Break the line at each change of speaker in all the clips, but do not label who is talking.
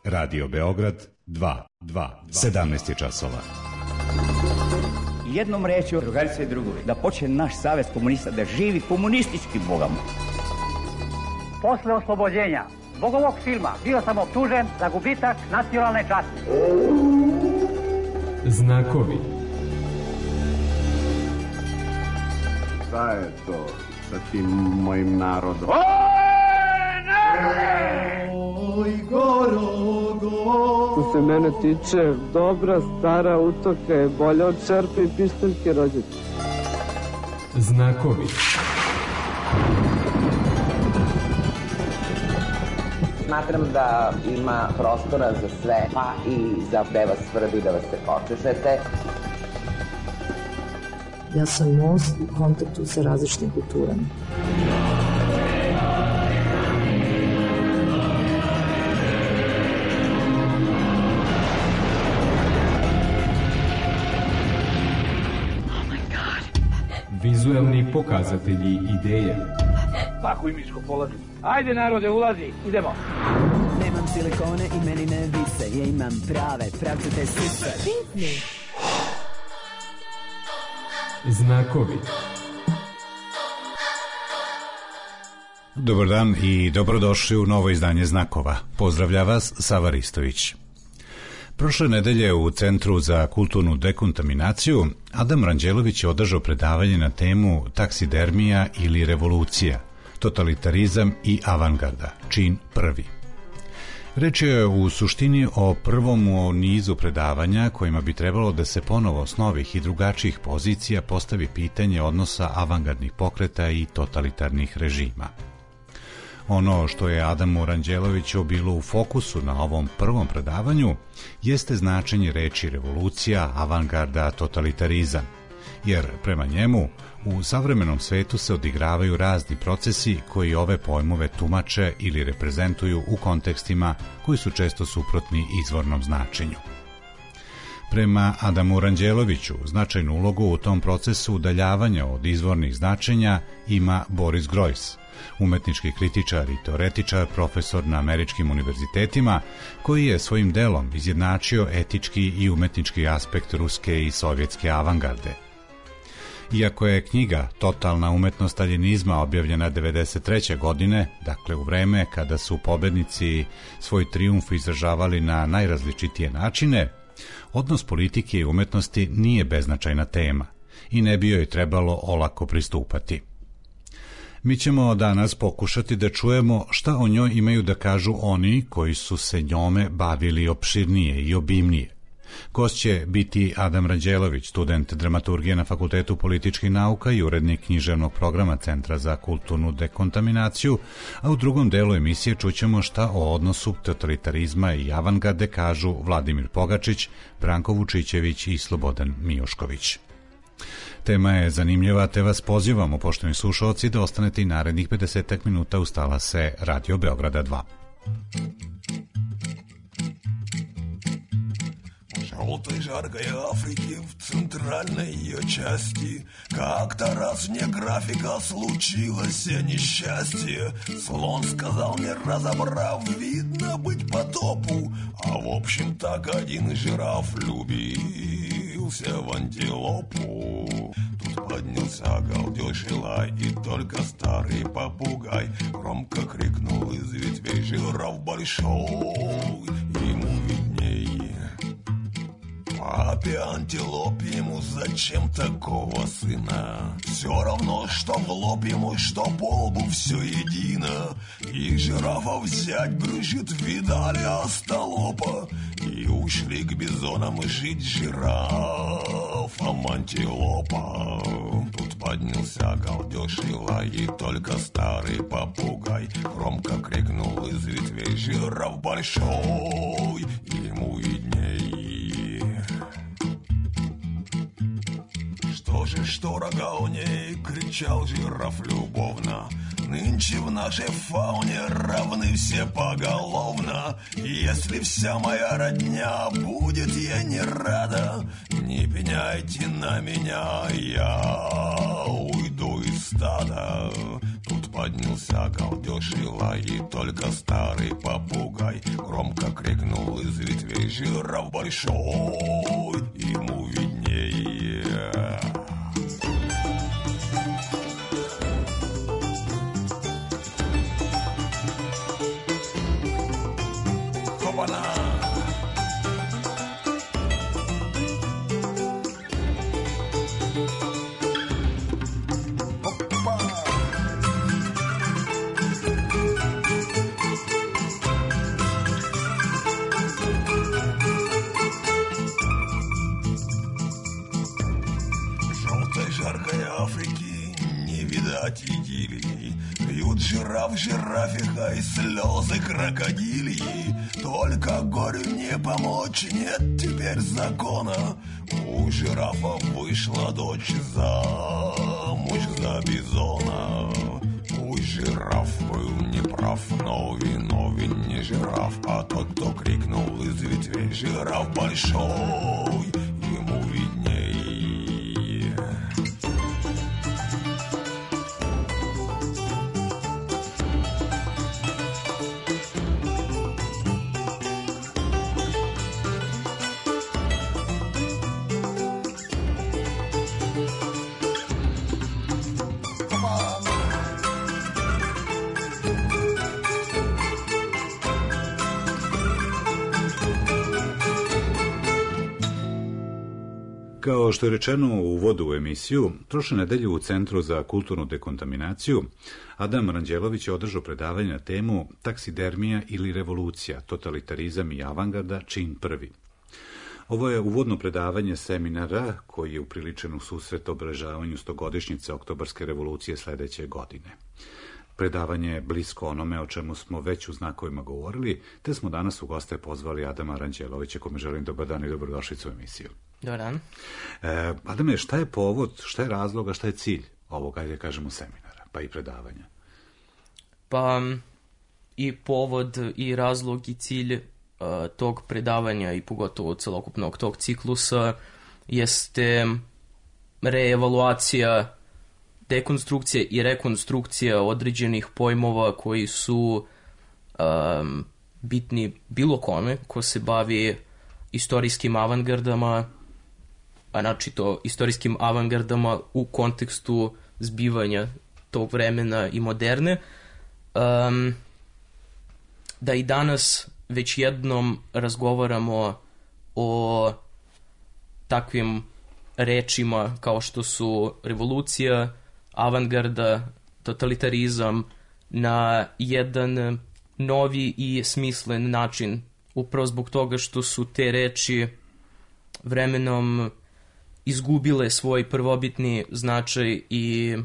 Radio Beograd 2, 17 je časova.
Jednom rečju, drugarice i drugovi, da počne naš savez komunista da živi komunistički bogama.
Posle oslobođenja zbog ovog filma bio sam optužen za gubitak nacionalne časti.
Znakovi.
Šta je to sa tim mojim narodom?
Oj, Gorogo!
Što se mene tiče, dobra stara utoka je bolja od čerpe i pišteljke rođete.
Znakovi.
Smatram da ima prostora za sve, pa i za da vas svrbi, da vas se počešete.
Ja sam most u kontaktu sa različitim kulturama.
Vizuelni pokazatelji ideje.
Pakuj miško, polazi. Ajde narode, ulazi, idemo.
Nemam silikone i meni ne vise, ja imam prave, pravcate sise.
Znakovi.
Dobar dan i dobrodošli u novo izdanje Znakova. Pozdravlja vas Sava Ristović. Prošle nedelje u Centru za kulturnu dekontaminaciju Adam Ranđelović je održao predavanje na temu taksidermija ili revolucija, totalitarizam i avangarda, čin prvi. Reč je u suštini o prvom u nizu predavanja kojima bi trebalo da se ponovo s novih i drugačijih pozicija postavi pitanje odnosa avangardnih pokreta i totalitarnih režima. Ono što je Adamu Ranđeloviću bilo u fokusu na ovom prvom predavanju jeste značenje reči revolucija, avangarda, totalitarizam, jer prema njemu u savremenom svetu se odigravaju razni procesi koji ove pojmove tumače ili reprezentuju u kontekstima koji su često suprotni izvornom značenju. Prema Adamu Ranđeloviću značajnu ulogu u tom procesu udaljavanja od izvornih značenja ima Boris Groys, umetnički kritičar i teoretičar, profesor na američkim univerzitetima, koji je svojim delom izjednačio etički i umetnički aspekt ruske i sovjetske avangarde. Iako je knjiga Totalna umetnost staljinizma objavljena 1993. godine, dakle u vreme kada su pobednici svoj trijumf izražavali na najrazličitije načine, odnos politike i umetnosti nije beznačajna tema i ne bi joj trebalo olako pristupati. Mi ćemo danas pokušati da čujemo šta o njoj imaju da kažu oni koji su se njome bavili opširnije i obimnije. Gost će biti Adam Ranđelović, student dramaturgije na Fakultetu političkih nauka i urednik književnog programa Centra za kulturnu dekontaminaciju, a u drugom delu emisije čućemo šta o odnosu totalitarizma i avangarde kažu Vladimir Pogačić, Branko Vučićević i Slobodan Mijošković. Tema je zanimljiva, te vas pozivamo, poštovani slušalci, da ostanete i narednih 50 minuta uz talase Radio Beograda 2.
Желтой жаркой Африки в центральной ее части как-то раз мне графика случилось несчастье. Слон сказал мне, разобрав, видно быть потопу. А в общем так один жираф влюбился в антилопу. Тут поднялся галдеж и лай, и только старый попугай громко крикнул из ветвей: жираф большой, ему виднее. Папе антилопе ему зачем такого сына? Все равно, что в лоб ему, что по лбу, все едино. И жирафа взять брюшит, видали остолопа. И ушли к бизонам жить жирафам антилопа. Тут поднялся галдеж и лай, и только старый попугай громко крикнул из ветвей: жираф большой, ему видней. Что рога у ней, кричал жираф любовно. Нынче в нашей фауне равны все поголовно. Если вся моя родня будет ей не рада, не пеняйте на меня, я уйду из стада. Тут поднялся галдеж и лай, и только старый попугай громко крикнул из ветвей: жираф большой, ему виднее. Хопана! Жаркой Африки не видать идиллии. Пьют жираф жирафиха и слезы крокодилии. Только горю не помочь, нет теперь закона. У жирафа вышла дочь замуж за бизона. Пусть жираф был неправ, но виновен не жираф, а тот, кто крикнул из ветвей: жираф большой, ему виднее.
Kao što je rečeno u uvodu u emisiju, prošle nedelje u Centru za kulturnu dekontaminaciju Adam Ranđelović je održao predavanje na temu Taksidermija ili revolucija, totalitarizam i avangarda, čin prvi. Ovo je uvodno predavanje seminara koji je upriličen u susret obeležavanju 100-godišnjice Oktobarske revolucije sledeće godine. Predavanje je blisko onome o čemu smo već u znakovima govorili, te smo danas u goste pozvali Adama Ranđelovića, kome želim dobar dan i dobrodošlicu u emisiju.
Dobar dan.
Adame, šta je povod, šta je razloga, šta je cilj ovoga, ajde kažemo, seminara, pa i predavanja?
Pa i povod i razlog i cilj tog predavanja i pogotovo celokupnog tog ciklusa jeste reevaluacija, dekonstrukcija i rekonstrukcija određenih pojmova koji su bitni bilo kome ko se bavi istorijskim avangardama, a načito istorijskim avangardama u kontekstu zbivanja tog vremena i moderne, da i danas već jednom razgovaramo o takvim rečima kao što su revolucija, avangarda, totalitarizam na jedan novi i smislen način, upravo zbog toga što su te reči vremenom izgubile svoj prvobitni značaj i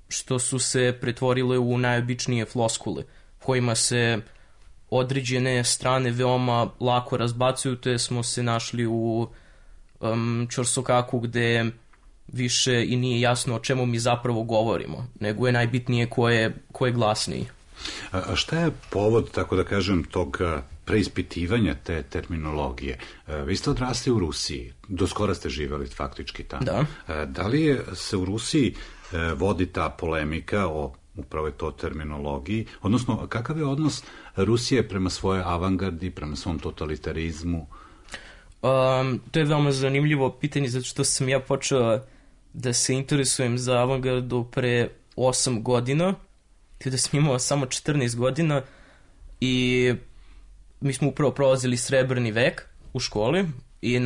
što su se pretvorile u najobičnije floskule, kojima se određene strane veoma lako razbacuju, te smo se našli u ćorsokaku gde više i nije jasno o čemu mi zapravo govorimo, nego je najbitnije ko je glasniji.
A šta je povod, tako da kažem, tog preispitivanja te terminologije? Vi ste odrasli u Rusiji, do skora ste živjeli faktički tamo.
Da.
Da li se u Rusiji vodi ta polemika o upravo to terminologiji, odnosno kakav je odnos Rusije prema svojoj avangardi, prema svom totalitarizmu?
To je veoma zanimljivo pitanje, zato što sam ja počeo da se interesujem za avangardu pre 8 godina, kada sam imao samo 14 godina i mi smo upravo prolazili srebrni vek u školi i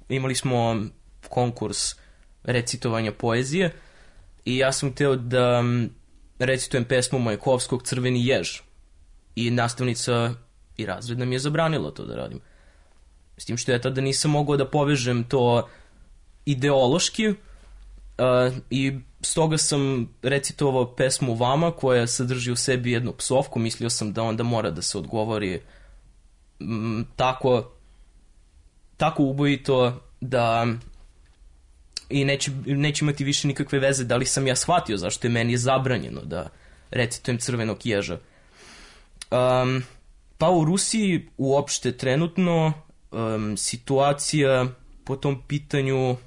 imali smo konkurs recitovanja poezije i ja sam hteo da recitujem pesmu Majakovskog Crveni jež i nastavnica i razredna mi je zabranila to da radim. S tim što ja tada nisam mogao da povežem to ideološki i stoga sam recitovao pesmu Vama koja sadrži u sebi jednu psovku. Mislio sam da onda mora da se odgovori tako ubojito da i neće imati više nikakve veze da li sam ja shvatio zašto je meni zabranjeno da recitujem Crvenog ježa. Pa u Rusiji uopšte trenutno situacija po tom pitanju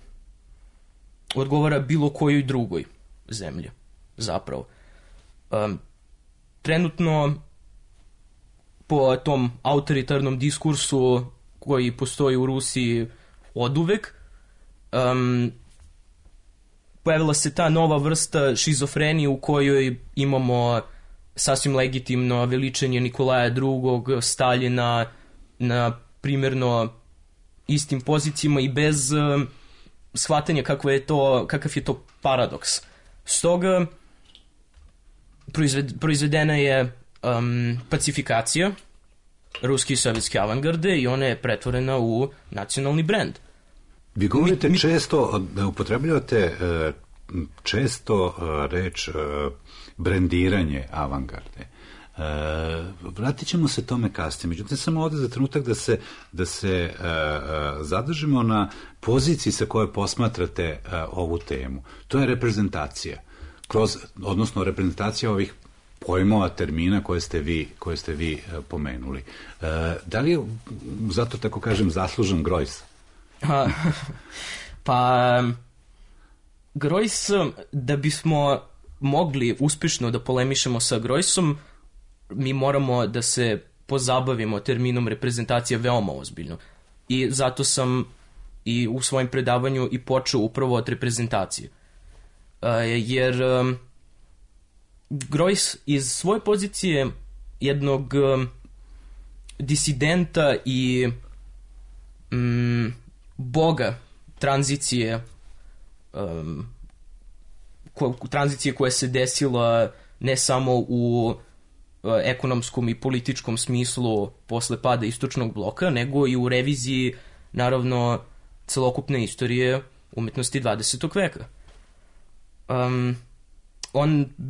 odgovara bilo kojoj drugoj zemlji, zapravo. trenutno po tom autoritarnom diskursu koji postoji u Rusiji oduvek, pojavila se ta nova vrsta šizofrenije u kojoj imamo sasvim legitimno veličanje Nikolaja II, Staljina na primjerno istim pozicijama i bez shvatanja kakav je to paradoks. Stoga proizvedena je pacifikacija ruske i sovjetske avangarde i ona je pretvorena u nacionalni brend.
Vi govorite često, upotrebljavate često reč brendiranje avangarde. Vratit ćemo se tome kasnije. Međutim, samo ovdje za trenutak da se zadržimo na poziciji sa kojoj posmatrate ovu temu. To je reprezentacija. Odnosno reprezentacija ovih pojmova, termina koje ste vi pomenuli. Da li je, zato tako kažem, zaslužen Grojs?
Pa Grojs, da bismo mogli uspješno da polemišemo sa Grojsom, mi moramo da se pozabavimo terminom reprezentacija veoma ozbiljno. I zato sam i u svojem predavanju i počeo upravo od reprezentacije. Jer Grojs iz svoje pozicije jednog disidenta i boga tranzicije koja se desila ne samo u ekonomskom i političkom smislu posle pada istočnog bloka, nego i u reviziji, naravno, celokupne istorije umetnosti 20. veka.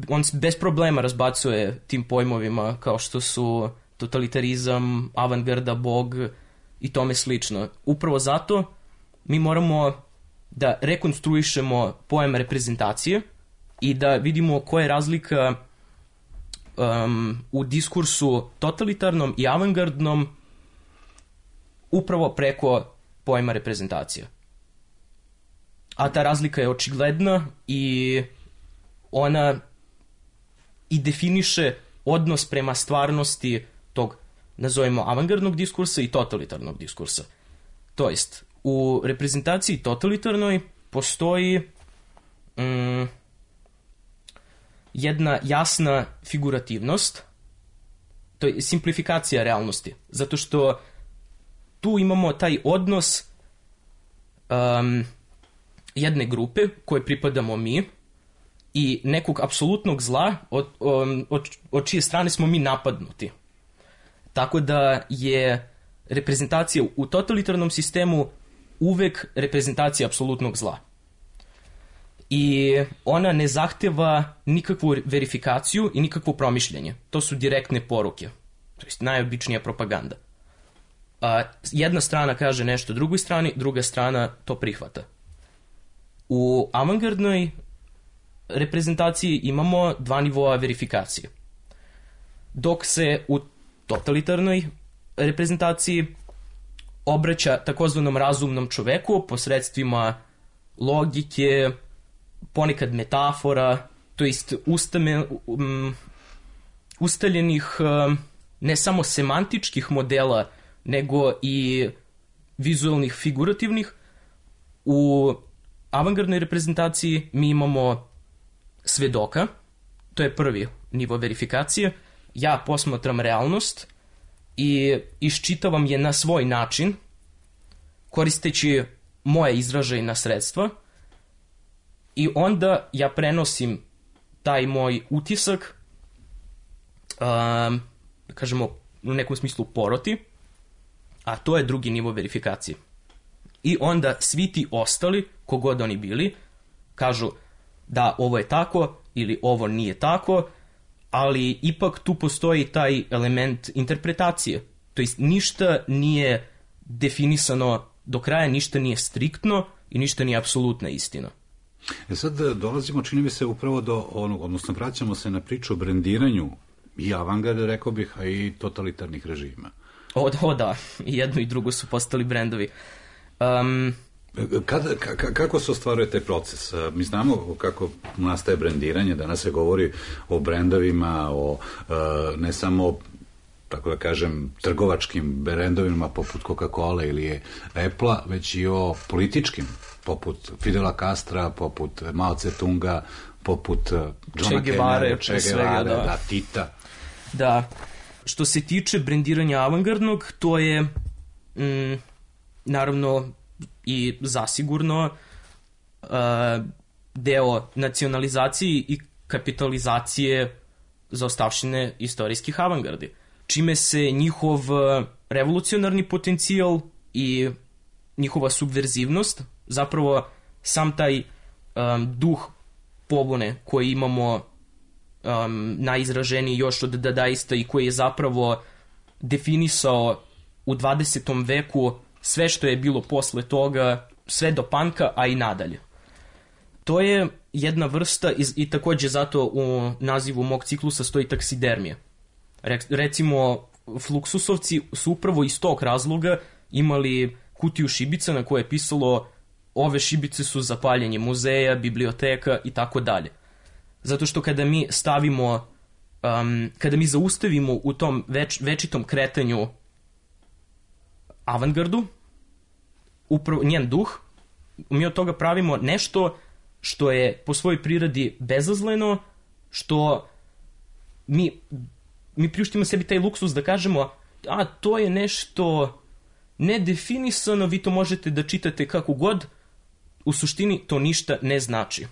On bez problema razbacuje tim pojmovima kao što su totalitarizam, avangarda, bog i tome slično. Upravo zato mi moramo da rekonstruišemo pojam reprezentacije i da vidimo koja je razlika u diskursu totalitarnom i avangardnom upravo preko pojma reprezentacija. A ta razlika je očigledna i ona i definiše odnos prema stvarnosti tog, nazovemo, avangardnog diskursa i totalitarnog diskursa. To jest, u reprezentaciji totalitarnoj postoji jedna jasna figurativnost, to je simplifikacija realnosti, zato što tu imamo taj odnos jedne grupe koje pripadamo mi i nekog apsolutnog zla od čije strane smo mi napadnuti. Tako da je reprezentacija u totalitarnom sistemu uvek reprezentacija apsolutnog zla. I ona ne zahteva nikakvu verifikaciju i nikakvo promišljanje. To su direktne poruke. To je najobičnija propaganda. Jedna strana kaže nešto drugoj strani, druga strana to prihvata. U avangardnoj reprezentaciji imamo dva nivoa verifikacije. Dok se u totalitarnoj reprezentaciji obraća takozvanom razumnom čoveku posredstvima logike, ponekad metafora, to jest ustaljenih ne samo semantičkih modela, nego i vizualnih, figurativnih. U avangardnoj reprezentaciji mi imamo svedoka, to je prvi nivo verifikacije. Ja posmatram realnost i iščitavam je na svoj način, koristeći moje izražajna sredstva, i onda ja prenosim taj moj utisak, da kažemo u nekom smislu poroti, a to je drugi nivo verifikacije. I onda svi ti ostali, kogod oni bili, kažu da ovo je tako ili ovo nije tako, ali ipak tu postoji taj element interpretacije. To jest ništa nije definisano do kraja, ništa nije striktno i ništa nije apsolutna istina.
Sad dolazimo, čini mi se, upravo do onog, odnosno vraćamo se na priču o brendiranju i avangarde, rekao bih, a i totalitarnih režima.
O da, i jedno i drugo su postali brendovi.
Kako se ostvaruje taj proces? Mi znamo kako nastaje brendiranje, danas se govori o brendovima, o ne samo, tako da kažem, trgovačkim brendovima poput Coca-Cola ili Apple-a, već i o političkim, poput Fidela Castra, poput Mao Tse-tunga, poput Johna Kennedy, Che Guevare, da, Tita.
Da, što se tiče brendiranja avangardnog, to je naravno i zasigurno deo nacionalizacije i kapitalizacije zaostavštine istorijskih avangardi, čime se njihov revolucionarni potencijal i njihova subverzivnost, zapravo sam taj duh pobune koji imamo najizraženiji još od dadaista i koji je zapravo definisao u 20. veku sve što je bilo posle toga, sve do panka, a i nadalje. To je jedna vrsta i takođe zato u nazivu mog ciklusa stoji taksidermija. Recimo, Fluxusovci su upravo iz tog razloga imali kutiju šibica na koje je pisalo ove šibice su za paljenje muzeja, biblioteka i tako dalje. Zato što kada mi stavimo, kada mi zaustavimo u tom večitom kretanju avangardu, upravo njen duh, mi od toga pravimo nešto što je po svojoj prirodi bezazleno, što mi priuštimo sebi taj luksus da kažemo, a to je nešto nedefinisano, vi to možete da čitate kako god, u suštini to ništa ne znači.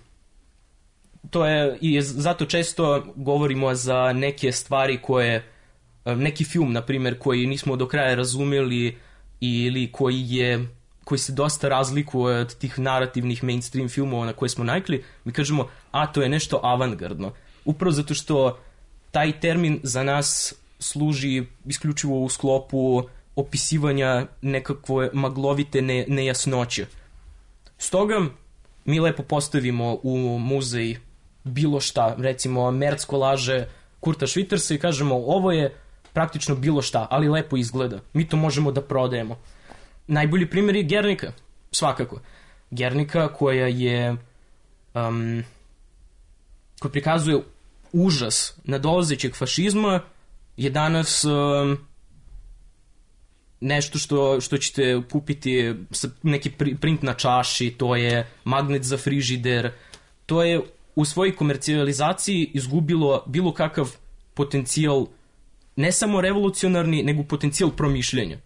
To je, i zato često govorimo za neke stvari koje, neki film, na primjer, koji nismo do kraja razumeli ili koji se dosta razlikuje od tih narativnih mainstream filmova na koje smo navikli, mi kažemo, a to je nešto avangardno. Upravo zato što taj termin za nas služi isključivo u sklopu opisivanja nekakve maglovite nejasnoće. Stoga mi lepo postavimo u muzej bilo šta, recimo Merz kolaže Kurta Schwittersa i kažemo ovo je praktično bilo šta, ali lepo izgleda. Mi to možemo da prodajemo. Najbolji primjer je Guernica, svakako. Guernica koja je koja prikazuje užas nadolazećeg fašizma je danas nešto što ćete kupiti, neki print na čaši, to je magnet za frižider, to je u svojoj komercijalizaciji izgubilo bilo kakav potencijal, ne samo revolucionarni, nego potencijal promišljenja.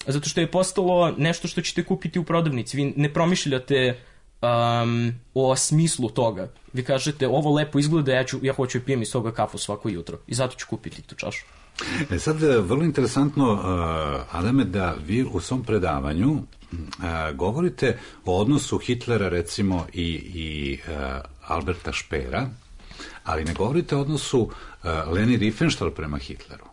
Zato što je postalo nešto što ćete kupiti u prodavnici. Vi ne promišljate o smislu toga. Vi kažete, ovo lepo izgleda, ja hoću da pijem iz toga kafu svako jutro i zato ću kupiti tu čašu.
Sad, vrlo interesantno, Adame, da vi u svom predavanju govorite o odnosu Hitlera, recimo, i Alberta Speera, ali ne govorite o odnosu Leni Riefenstahl prema Hitleru.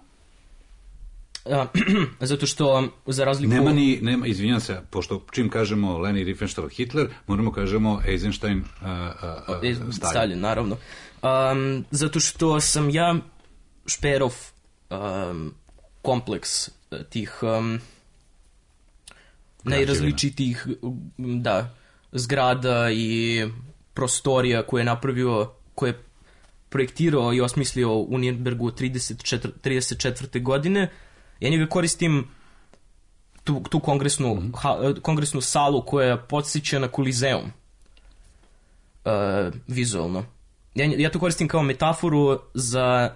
Zato što, za razliku...
Nema, izvinjam se, pošto čim kažemo Leni Riefenstahl Hitler, moramo kažemo Eisenstein
Stalin, naravno. Zato što sam ja Speerov kompleks tih najrazličitijih zgrada i prostorija koje je napravio, koje je projektirao i osmislio u Nürnbergu 34. godine. Ja njega koristim tu kongresnu salu koja podsjeća na Kolizeum vizualno. Ja to koristim kao metaforu za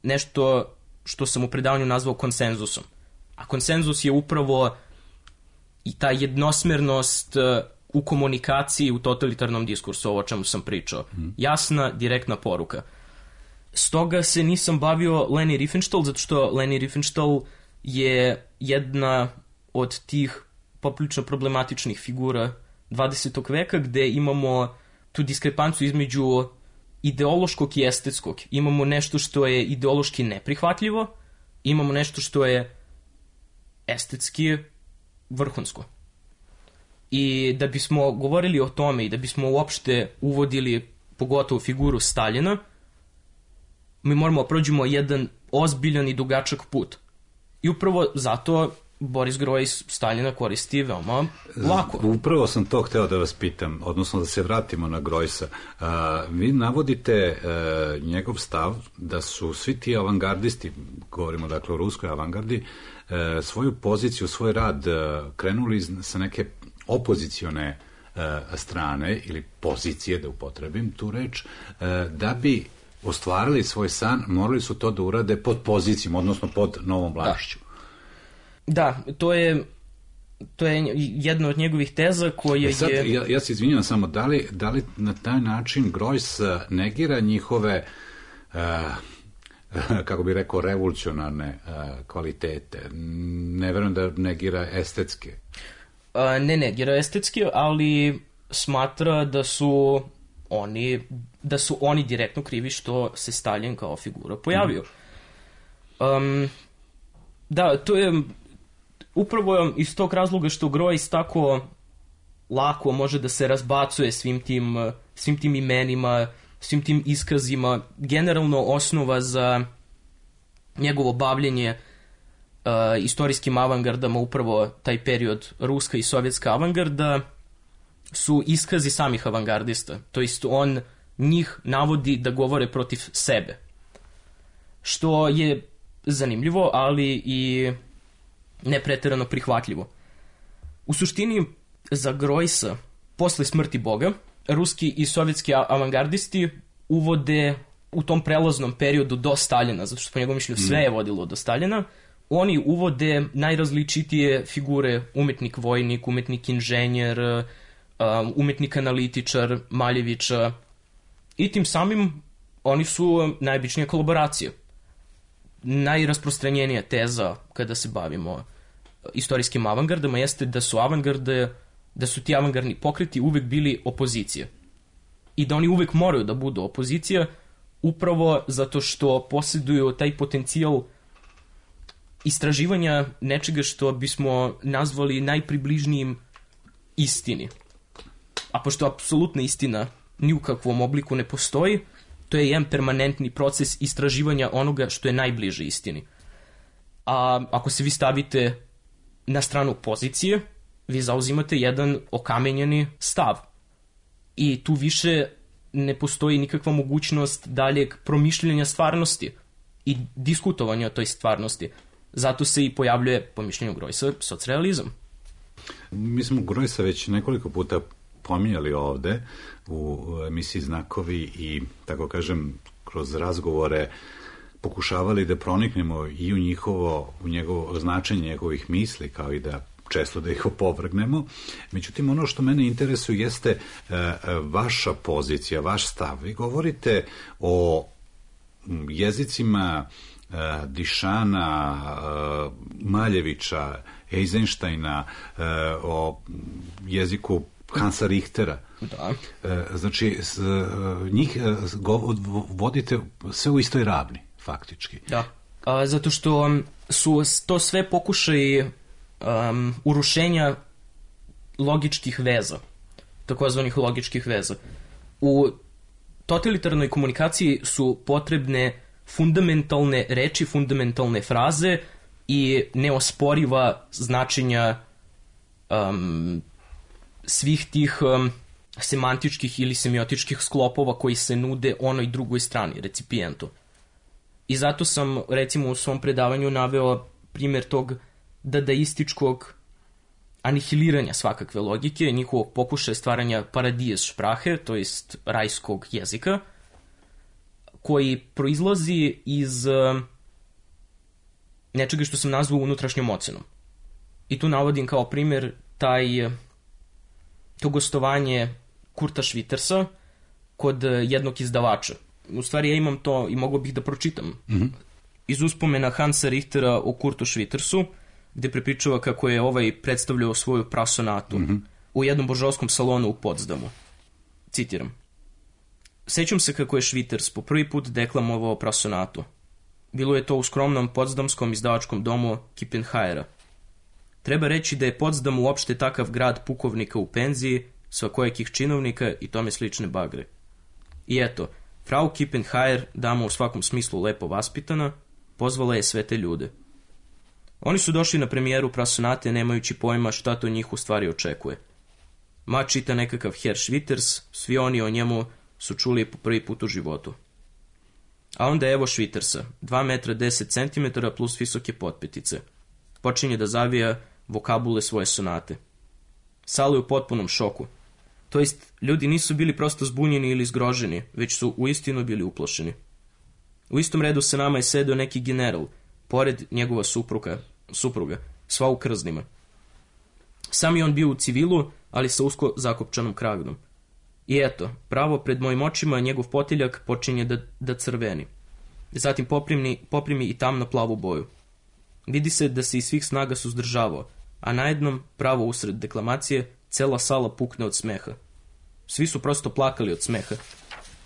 nešto što sam u predavanju nazvao konsenzusom. A konsenzus je upravo i ta jednosmernost u komunikaciji u totalitarnom diskursu, ovo o čemu sam pričao. Jasna, direktna poruka. Stoga se nisam bavio Leni Riefenstahl, zato što Leni Riefenstahl je jedna od tih poprilično problematičnih figura 20. veka, gde imamo tu diskrepanciju između ideološkog i estetskog. Imamo nešto što je ideološki neprihvatljivo, imamo nešto što je estetski vrhunsko. I da bismo govorili o tome i da bismo uopšte uvodili pogotovo figuru Staljina, mi moramo prođemo jedan ozbiljan i dugačak put. I upravo zato Boris Grojs Staljina koristi veoma lako.
Upravo sam to hteo da vas pitam, odnosno da se vratimo na Grojsa. Vi navodite njegov stav da su svi ti avangardisti, govorimo dakle o ruskoj avangardi, svoju poziciju, svoj rad krenuli sa neke opozicione strane ili pozicije, da upotrebim tu reč, da bi ostvarili svoj san, morali su to da urade pod pozicijom, odnosno pod novom vlašću.
Da, to je jedna od njegovih teza koja
sad,
je...
Ja se izvinjam samo, da li na taj način Grojs negira njihove, kako bi rekao, revolucionarne kvalitete? Ne verujem da negira estetske.
Ne negira estetske, ali smatra da su oni direktno krivi što se Stalin kao figura pojavio. Da, to je upravo iz tog razloga što Grojs tako lako može da se razbacuje svim tim imenima, svim tim iskazima. Generalno osnova za njegovo bavljenje istorijskim avangardama, upravo taj period ruska i sovjetska avangarda, su iskazi samih avangardista. To jest on njih navodi da govore protiv sebe. Što je zanimljivo, ali i ne preterano prihvatljivo. U suštini, za Grojsa, posle smrti Boga, ruski i sovjetski avangardisti uvode u tom prelaznom periodu do Staljina, zato što po njegovom mišljenju sve je vodilo do Staljina, oni uvode najrazličitije figure, umetnik vojnik, umetnik inženjer, umetnik analitičar, Maljevića, i tim samim oni su najobičnija kolaboracija. Najrasprostranjenija teza kada se bavimo istorijskim avangardama jeste da su ti avangardni pokreti uvek bili opozicija. I da oni uvek moraju da budu opozicija, upravo zato što posjeduju taj potencijal istraživanja nečega što bismo nazvali najpribližnijim istini. A pošto apsolutna istina ni u kakvom obliku ne postoji, to je jedan permanentni proces istraživanja onoga što je najbliže istini. A ako se vi stavite na stranu pozicije, vi zauzimate jedan okamenjeni stav. I tu više ne postoji nikakva mogućnost daljeg promišljanja stvarnosti i diskutovanja o toj stvarnosti. Zato se i pojavljuje, po mišljenju Grojsa, socrealizam.
Mi smo Grojsa već nekoliko puta pominjali ovde u emisiji Znakovi i, tako kažem, kroz razgovore pokušavali da proniknemo i u njegovo značenje njegovih misli, kao i da često da ih opovrgnemo. Međutim, ono što mene interesuje jeste vaša pozicija, vaš stav. Vi govorite o jezicima Dišana, Maljevića, Eisensteina, o jeziku Hansa Richtera.
Da.
Znači, njih vodite sve u istoj ravni, faktički.
Da. Zato što su to sve pokušaji urušenja logičkih veza, takozvanih logičkih veza. U totalitarnoj komunikaciji su potrebne fundamentalne reči, fundamentalne fraze i neosporiva značenja svih tih semantičkih ili semiotičkih sklopova koji se nude onoj drugoj strani, recipijentu. I zato sam, recimo, u svom predavanju naveo primjer tog dadaističkog anihiliranja svakakve logike, njihovog pokušaja stvaranja paradies šprahe, to jest rajskog jezika, koji proizlazi iz nečega što sam nazvao unutrašnjom ocenom. I tu navodim kao primjer to gostovanje Kurta Schwittersa kod jednog izdavača. U stvari ja imam to i mogao bih da pročitam. Iz uspomena Hansa Richtera o Kurtu Schwittersu, gde prepričava kako je ovaj predstavljao svoju prasonatu u jednom božanskom salonu u Potsdamu. Citiram. Sećam se kako je Schwitters po prvi put deklamovao prasonatu. Bilo je to u skromnom potsdamskom izdavačkom domu Kippenhajera. Treba reći da je Potsdam uopšte takav grad pukovnika u penziji, svakojakih činovnika i tome slične bagre. I eto, Frau Kippenhajer, dama u svakom smislu lepo vaspitana, pozvala je sve te ljude. Oni su došli na premijeru Prasonate nemajući pojma šta to njih u stvari očekuje. Ma čita nekakav Herr Schwitters, svi oni o njemu su čuli po prvi put u životu. A onda evo Schwittersa, 2 metra 10 cm plus visoke potpetice. Počinje da zavija vokabule svoje sonate. Sala je u potpunom šoku. To jest, ljudi nisu bili prosto zbunjeni ili zgroženi, već su uistinu bili uplošeni. U istom redu sa nama je sedeo neki general, pored njegova supruga, sva u krznima. Sam je on bio u civilu, ali sa usko zakopčanom kragnom. I eto, pravo pred mojim očima njegov potiljak počinje da crveni. Zatim poprimi i tamno plavu boju. Vidi se da se iz svih snaga suzdržavao, a najednom, pravo usred deklamacije, cela sala pukne od smeha. Svi su prosto plakali od smeha.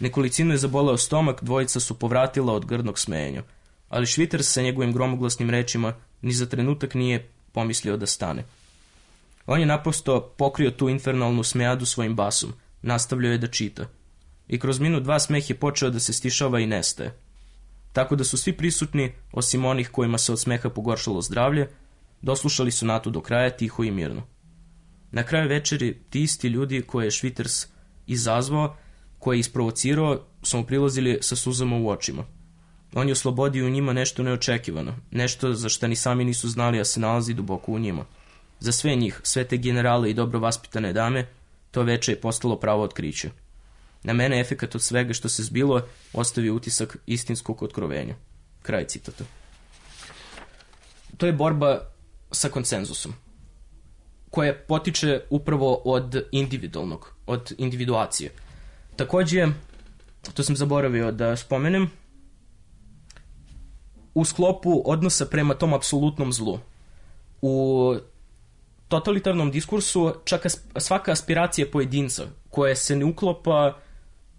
Nekolicinu je zaboleo stomak, dvojica su povratila od grdnog smejenja. Ali Schwitters sa njegovim gromoglasnim rečima ni za trenutak nije pomislio da stane. On je naprosto pokrio tu infernalnu smejadu svojim basom, nastavljao je da čita. I kroz minut 2 smeh je počeo da se stišava i nestaje. Tako da su svi prisutni, osim onih kojima se od smeha pogoršalo zdravlje, doslušali sonatu do kraja tiho i mirno. Na kraju večeri ti isti ljudi koje je Schwitters izazvao, koje je isprovocirao, su mu prilazili sa suzama u očima. On je oslobodio u njima nešto neočekivano, nešto za što ni sami nisu znali, a se nalazi duboko u njima. Za sve njih, sve te generale i dobro vaspitane dame, to veče je postalo pravo otkriće. Na mene efekat od svega što se zbilo ostavio utisak istinskog otkrovenja. Kraj citata. To je borba sa konsenzusom, koja potiče upravo od individualnog, od individuacije. Takođe, to sam zaboravio da spomenem, u sklopu odnosa prema tom apsolutnom zlu. U totalitarnom diskursu čak svaka aspiracija pojedinca koja se ne uklopa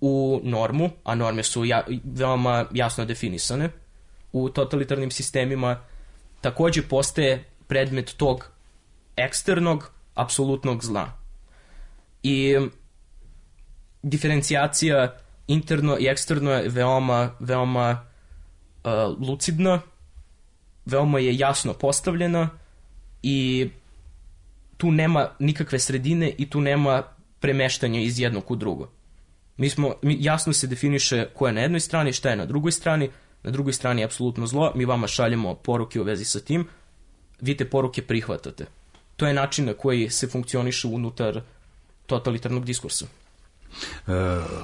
u normu, a norme su veoma jasno definisane u totalitarnim sistemima, takođe postaje predmet tog eksternog, apsolutnog zla. I diferencijacija interno i eksterno je veoma lucidna, veoma je jasno postavljena i tu nema nikakve sredine i tu nema premeštanja iz jednog u drugo. Jasno se definiše ko je na jednoj strani, šta je na drugoj strani je apsolutno zlo, mi vama šaljemo poruke u vezi sa tim, vi te poruke prihvatate. To je način na koji se funkcioniše unutar totalitarnog diskursa.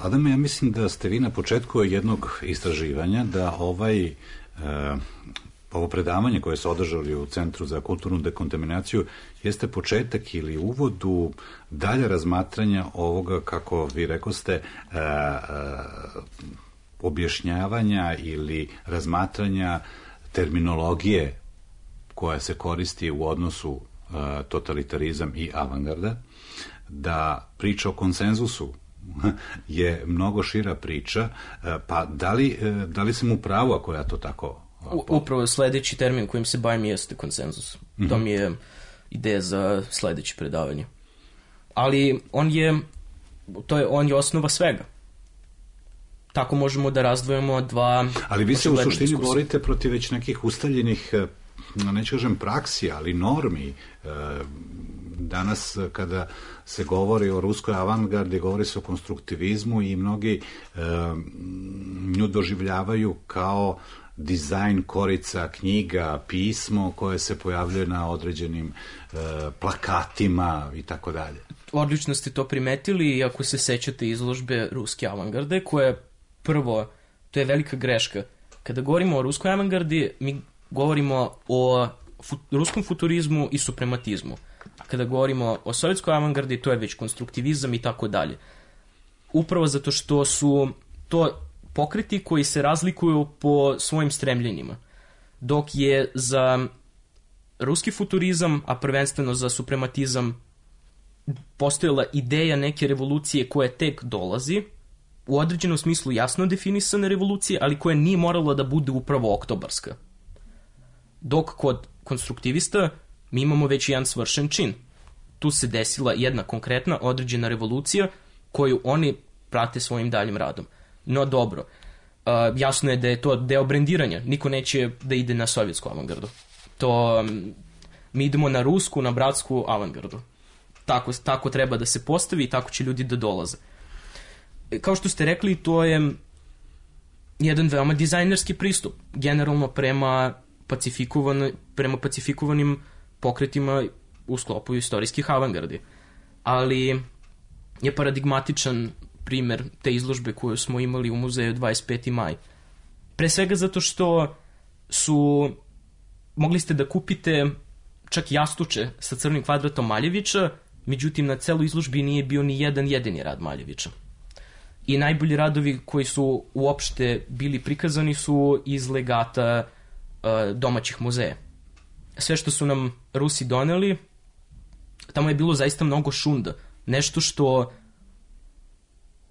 Adame, ja mislim da ste vi na početku jednog istraživanja da ovo predavanje koje se održali u Centru za kulturnu dekontaminaciju jeste početak ili uvod u dalje razmatranja ovoga, kako vi rekoste, objašnjavanja ili razmatranja terminologije koja se koristi u odnosu totalitarizam i avangarda, da priča o konsenzusu je mnogo šira priča, pa da li sam u pravu ako ja to tako...
Upravo sledeći termin kojim se bavim jeste konsenzus. To mi je ideja za sledeće predavanje. Ali on je osnova svega. Tako možemo da razdvojimo dva...
Ali vi se u suštini borite protiv već nekih ustaljenih, neću kažem praksi, ali normi. Danas kada se govori o ruskoj avangardi, govori se o konstruktivizmu i mnogi nju doživljavaju kao dizajn korica, knjiga, pismo koje se pojavljuje na određenim plakatima i tako dalje.
Odlično ste to primetili i ako se sećate izložbe ruske avangarde, koja prvo, to je velika greška. Kada govorimo o ruskoj avangardi, mi govorimo o ruskom futurizmu i suprematizmu. A kada govorimo o sovjetskoj avangardi, to je već konstruktivizam i tako dalje. Upravo zato što su to pokreti koji se razlikuju po svojim stremljenjima. Dok je za ruski futurizam, a prvenstveno za suprematizam, postojala ideja neke revolucije koja tek dolazi, u određenom smislu jasno definisane revolucije, ali koja nije morala da bude upravo oktobarska. Dok kod konstruktivista mi imamo već jedan svršen čin. Tu se desila jedna konkretna određena revolucija koju oni prate svojim daljim radom. No dobro, jasno je da je to deo brendiranja. Niko neće da ide na sovjetsku avangardu. mi idemo na rusku, na bratsku avangardu. Tako treba da se postavi i tako će ljudi da dolaze. Kao što ste rekli, to je jedan veoma dizajnerski pristup, generalno prema pacifikovanim pokretima u sklopu istorijskih avangardi. Ali je paradigmatičan primer te izložbe koju smo imali u muzeju 25. maj. Pre svega zato što mogli ste da kupite čak jastuče sa crnim kvadratom Maljevića, međutim na celoj izložbi nije bio ni jedan jedini rad Maljevića. I najbolji radovi koji su uopšte bili prikazani su iz legata domaćih muzeja. Sve što su nam Rusi doneli, tamo je bilo zaista mnogo šunda. Nešto što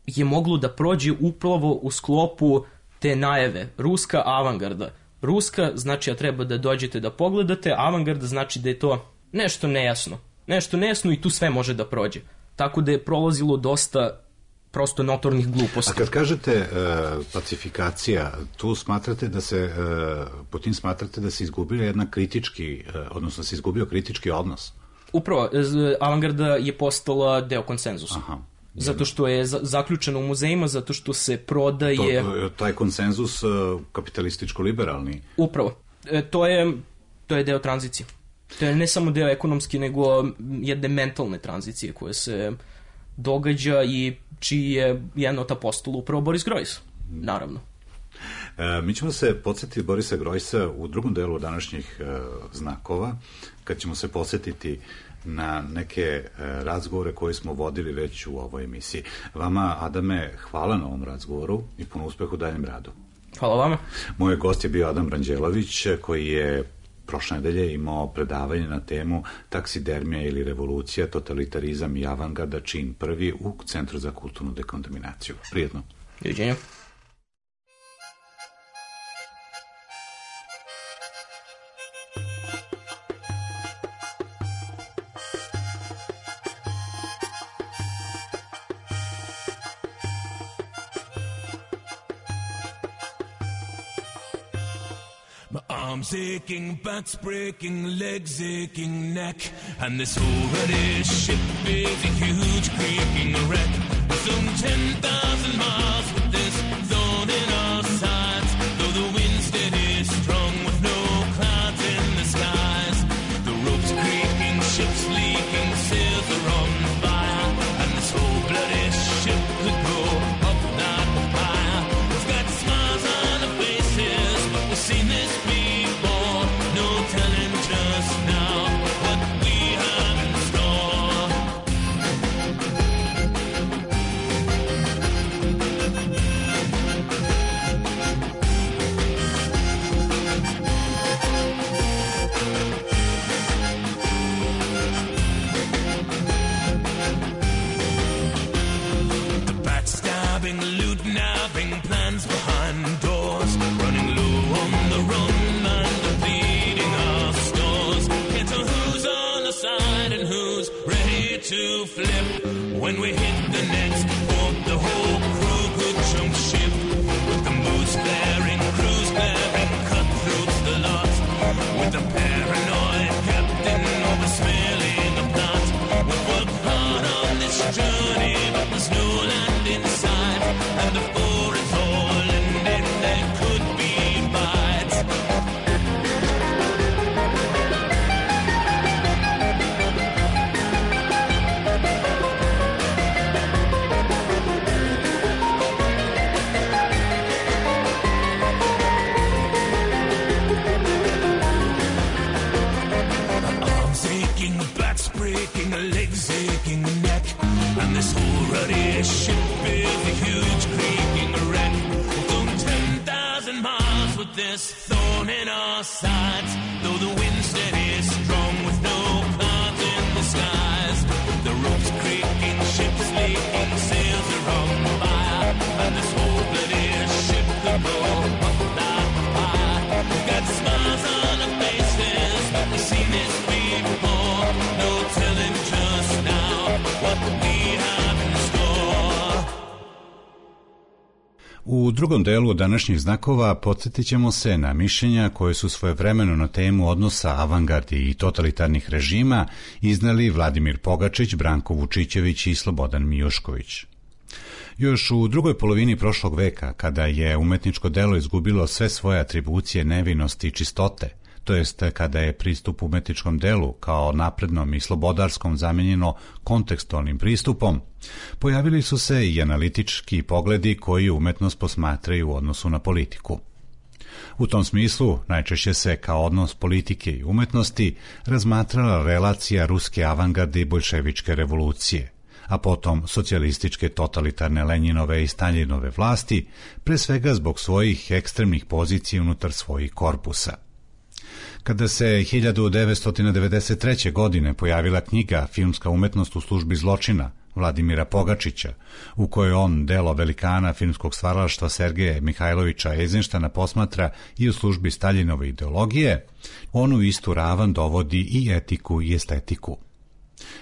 je moglo da prođe upravo u sklopu te najave. Ruska avangarda. Ruska znači da treba da dođete da pogledate, avangarda znači da je to nešto nejasno. Nešto nejasno i tu sve može da prođe. Tako da je prolazilo dosta prosto notornih gluposti.
A kad kažete pacifikacija, tu smatrate da se, po tim smatrate da se izgubila jedna kritički, odnosno se izgubio kritički odnos?
Upravo, avangarda je postala deo konsenzusa. Aha. Zato što je zaključeno u muzejima, zato što se prodaje...
Taj konsenzus kapitalističko-liberalni?
Upravo. To je deo tranzicije. To je ne samo deo ekonomski, nego jedne mentalne tranzicije koje se događa i čiji je jedan od apostola upravo Boris Grojs, naravno.
Mi ćemo se podsjetiti Borisa Grojsa u drugom delu današnjih znakova, kad ćemo se podsjetiti na neke razgovore koje smo vodili već u ovoj emisiji. Vama, Adame, hvala na ovom razgovoru i puno uspeha u daljem radu.
Hvala vama.
Moj gost je bio Adam Ranđelović, koji je prošle nedelje imao predavanje na temu Taksidermija ili revolucija, totalitarizam i avangarda, čin prvi u Centru za kulturnu dekontaminaciju. Prijetno.
Doviđenja.
Arms aching, backs breaking, legs aching, neck, and this overhead ship is a huge creaking wreck. Some 10,000 miles with this thorn in our sides, though the wind steady strong with no clouds in the skies. The ropes creaking, ships leaking, sails are on fire, and this whole bloody ship could go up, not higher. We've got smiles on our faces, but we've seen this before. No telling just now what we have in store. The backstabbing, loot-nabbing plans behind doors, running low on the run and depleting our stores. Can't tell who's on the side and who's ready to flip. When we hit the next port, the whole crew could jump ship. With the moose flaring, crews blaring, cutthroats the lot. With the paranoid captain oversmelling the plot. We've worked hard on this journey, but there's no land in sight. And before it's all ended, there could be bites. Arms aching, backs breaking, legs aching, neck, and this whole ruddy ship is a huge creaking wreck. We've gone 10,000 miles with this thorn in our sides, though the wind steady strong with no clouds in the skies. The ropes creaking, ships leaking, sails are on fire, and this whole bloody ship could go up that high. We've got smiles on our faces, we've seen this before. No telling just now what we have in store.
U drugom delu današnjih znakova podsjetit ćemo se na mišljenja koje su svojevremeno na temu odnosa avangardi i totalitarnih režima iznali Vladimir Pogačić, Branko Vučićević i Slobodan Mijušković. Još u drugoj polovini prošlog veka, kada je umetničko delo izgubilo sve svoje atribucije nevinosti i čistote, to jest kada je pristup umetničkom delu kao naprednom i slobodarskom zamenjeno kontekstualnim pristupom, pojavili su se i analitički pogledi koji umetnost posmatraju u odnosu na politiku. U tom smislu najčešće se kao odnos politike i umetnosti razmatrala relacija ruske avangarde i boljševičke revolucije, a potom socijalističke totalitarne Lenjinove i Staljinove vlasti, pre svega zbog svojih ekstremnih pozicija unutar svojih korpusa. Kada se 1993. godine pojavila knjiga Filmska umetnost u službi zločina Vladimira Pogačića, u kojoj on delo velikana filmskog stvaralaštva Sergeja Mihajlovića Eizenštejna posmatra i u službi Staljinove ideologije, on u istu ravan dovodi i etiku i estetiku.